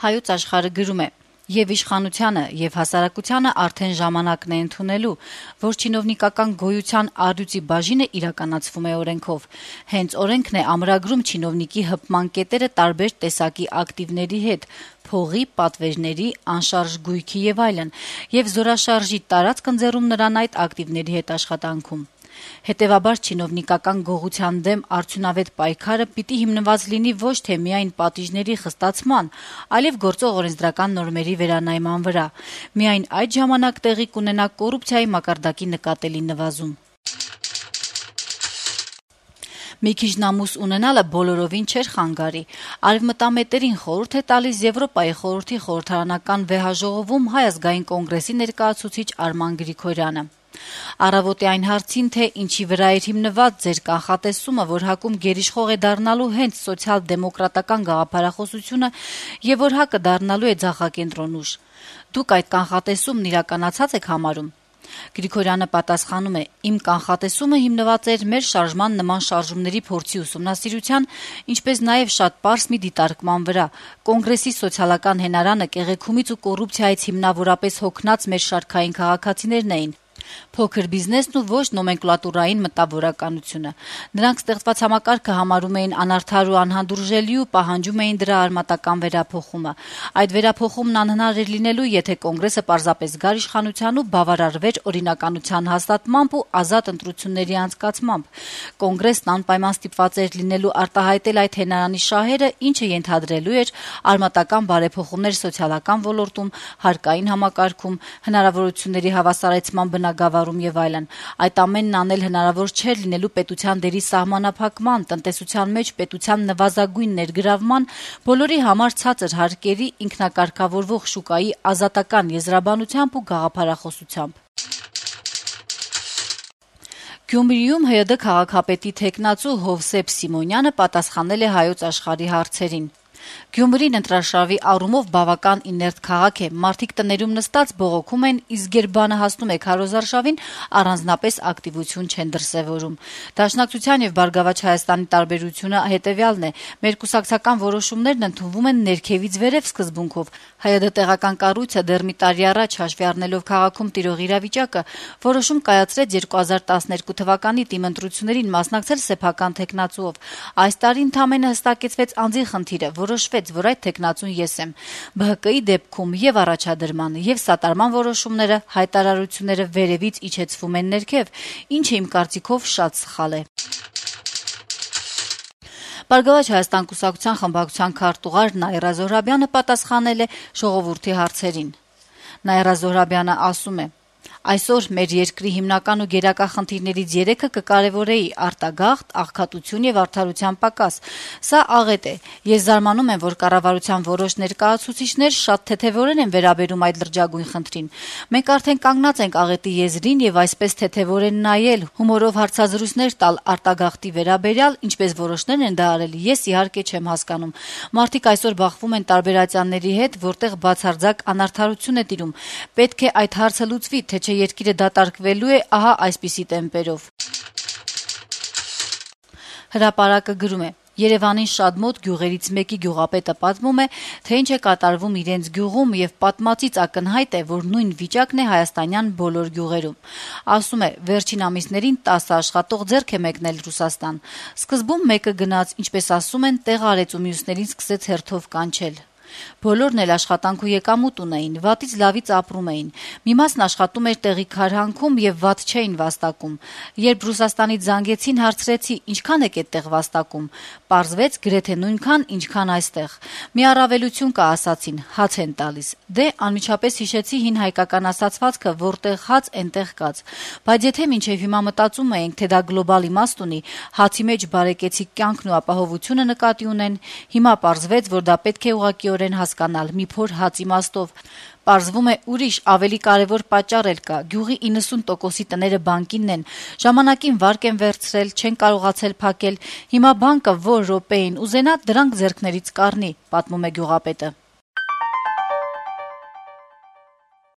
Հայոց աշխարհը գրում է. «Եվ իշխանությանը, եւ հասարակությանը արդեն ժամանակն է ընդունելու, որ չինովնիկական գոյության առյուծի բաժինը իրականացվում է օրենքով։ Հենց օրենքն է ամրագրում չինովնիկի հպման կետերը տարբեր տեսակի ակտիվների հետ՝ փողի, պատվերների, անշարժ գույքի եւ այլն, եւ զորաշարժի տարածք ընձեռում նրան այդ ակտիվների հետ աշխատանքում։ Հետևաբար չինովնիկական գողության դեմ արդյունավետ պայքարը պիտի հիմնված լինի ոչ թե միայն պատիժների խստացման, այլև գործող օրենսդրական նորմերի վերանայման վրա։ Միայն այդ ժամանակ տեղի կունենա կոռուպցիայի մակարդակի նկատելի նվազում»։ Մի քիչ նամուս ունենալը բոլորովին չէր խանգարի։ Արևմտամետերին խորհուրդ է տալիս Եվրոպայի խորհրդի խորհրդարանական վեհաժողովում Հայ ազգային կոնգրեսի ներկայացուցիչ Արման Գրիգորյանը։ Առավոտի այն հարցին, թե ինչի վրա էր հիմնված ձեր կանխատեսումը, որ ՀԱԿ-ում գերիշխող է դառնալու հենց սոցիալ-դեմոկրատական գաղափարախոսությունը եւ որ ՀԱԿ-ը դառնալու է ձախակենտրոն ուժ։ Դուք այդ կանխատեսումն իրականացած եք համարում։ Գրիգորյանը պատասխանում է. «Իմ կանխատեսումը հիմնված էր մեր շարժման նման շարժումների փորձի ուսումնասիրության, ինչպես նաև շատ պարզ մի դիտարկման վրա։ Կոնգրեսի սոցիալական հենարանը կեղեքումից ու կոռուպցիայից հիմնավորապես հոգնած մեր շարքային քաղաքացիներն էին։ Փոքր բիզնեսն ու ոչ նոմենկլատուրային մտավորականությունը։ Նրանք ստեղծված համակարգը համարում էին անարդար ու անհանդուրժելի ու պահանջում էին դրա արմատական վերափոխումը։ Այդ վերափոխումն անհնար էր լինելու, եթե կոնգրեսը պարզապես գար իշխանության ու բավարարվեր օրինականության հաստատմամբ ու ազատ ընտրությունների անցկացմամբ։ Կոնգրեսն անպայման ստիպված էր լինելու արտահայտել այդ հենարանի շահերը, ինչը ենթադրելու էր արմատական բարեփոխումներ սոցիալական ոլորտում, հարկային համակարգում, հնարավորությունների հավասարեցման բնագավառում եւ այլն։ Այդ ամենն անել հնարավոր չէր լինելու պետության դերի սահմանափակման, տնտեսության մեջ պետության նվազագույն ներգրավման, բոլորի համար ցածր հարկերի, ինքնակարգավորվող շուկայի ազատական եզրաբանությամբ ու գաղափարախոսությամբ։ Գյումրիում ՀՅԴ քաղաքապետի թեկնածու Հովսեփ Սիմոնյանը պատասխանել է Հայոց աշխարհի հարցերին։ Գյումրին ընտրաշավի առումով բավական իներտ քաղաք է։ Մարդիկ տներում նստած բողոքում են, իսկ երբ բանը հասնում է քարոզարշավին, առանձնապես ակտիվություն չեն դրսևորում։ Դաշնակցության եւ Բարգավաճ Հայաստանի տարբերությունը հետեւյալն է. մեր կուսակցական որոշումներն ընդունվում են ներքևից վերև սկզբունքով։ ՀՅԴ տեղական կառույցը դեռ մի տարի առաջ հաշվի առնելով քաղաքում տիրող իրավիճակը, որոշում կայացրեց 2012 թվականի տիմընտրություններին մասնակցել սեփական թեկնածուով։ Այս տարի ընդամենը հստակեցվեց անձի խնդիրը, որոշվեց, որ այդ թեկնածուն ես եմ։ ԲՀԿ-ի դեպքում եւ առաջադրման եւ սատարման որոշումները, հայտարարությունները վերևից իջեցվում են ներքև, ինչը իմ կարծիքով շատ սխալ է։ Բարգավաճ Հայաստան կուսակցության խմբակցության քարտուղար Նաիրա Զոհրաբյանը պատասխանել է ժողովրդի հարցերին։ Նաիրա Զոհրաբյանը ասում է. «Այսօր մեր երկրի հիմնական ու գերակա խնդիրներից 3-ը կկարևորեի՝ արտագաղթ, աղքատություն եւ արդարության պակաս։ Սա աղետ է։ Ես զարմանում եմ, որ կառավարության որոշ ներկայացուցիչներ շատ թեթեվորեն են վերաբերում այդ լրջագույն խնդրին։ Մենք արդեն կանգնած ենք աղետի եզրին եւ այսպես թեթեվորեն նայել, հումորով հարցազրույցներ տալ արտագաղթի վերաբերյալ, ինչպես որոշներն են դա արել, ես իհարկե չեմ հասկանում։ Մարդիկ այսօր բախվում են տարբեր ատյանների հետ, որտեղ բացարձակ անարդարություն է տիրում։ Պետք է այդ հարցը լուծվի, թե չէ երկիրը դատարկվելու է ահա այսպիսի տեմպերով»։ Հրապարակը գրում է. Երևանին շատ մոտ գյուղերից մեկի գյուղապետը պատմում է, թե ինչ է կատարվում իրենց գյուղում եւ պատմածից ակնհայտ է, որ նույն վիճակն է հայաստանյան բոլոր գյուղերում։ Ասում է, վերջին ամիսներին 10 աշխատող ձեռք է մեկնել Ռուսաստան։ Սկզբում մեկը գնաց, ինչպես ասում են, տեղ արեց ու մյուսներին սկսեց հերթով կանչել։ Բոլորն էլ աշխատանք ու եկամուտ ունեին, վատից լավից ապրում էին։ Մի մասն աշխատում էր տեղի քարհանքում եւ վատ չէին վաստակում։ Երբ Ռուսաստանից զանգեցին, հարցրեցի՝ ինչքան եք այդտեղ վաստակում։ Պարզվեց գրեթե նույնքան, ինչքան այստեղ։ Մի առավելություն կա, ասացին, հաց են տալիս։ Դե անմիջապես հիշեցի հին հայկական ասացվածքը, որտեղ հաց, այնտեղ կաց։ Բայց եթե մինչեւ հիմա մտածում էինք, թե դա գլոբալ իմաստ ունի, հացի մեջ բարեկեցիկ կյանքն ու ապահովությունը նկատի ունեն, հիմա պարզվեց, որ դա պետք է ուղղակիորեն հասկանալ մի փոր հաց իմաստով։ Պարզվում է ուրիշ ավելի կարևոր պատճառ էլ կա։ Գյուղի 90%-ի տները բանկինն են։ Ժամանակին վարկ են վերցրել, չեն կարողացել փակել։ Հիմա բանկը որ րոպեին ուզենա դրանք ձեռքներից կառնի, պատմում է գյուղապետը։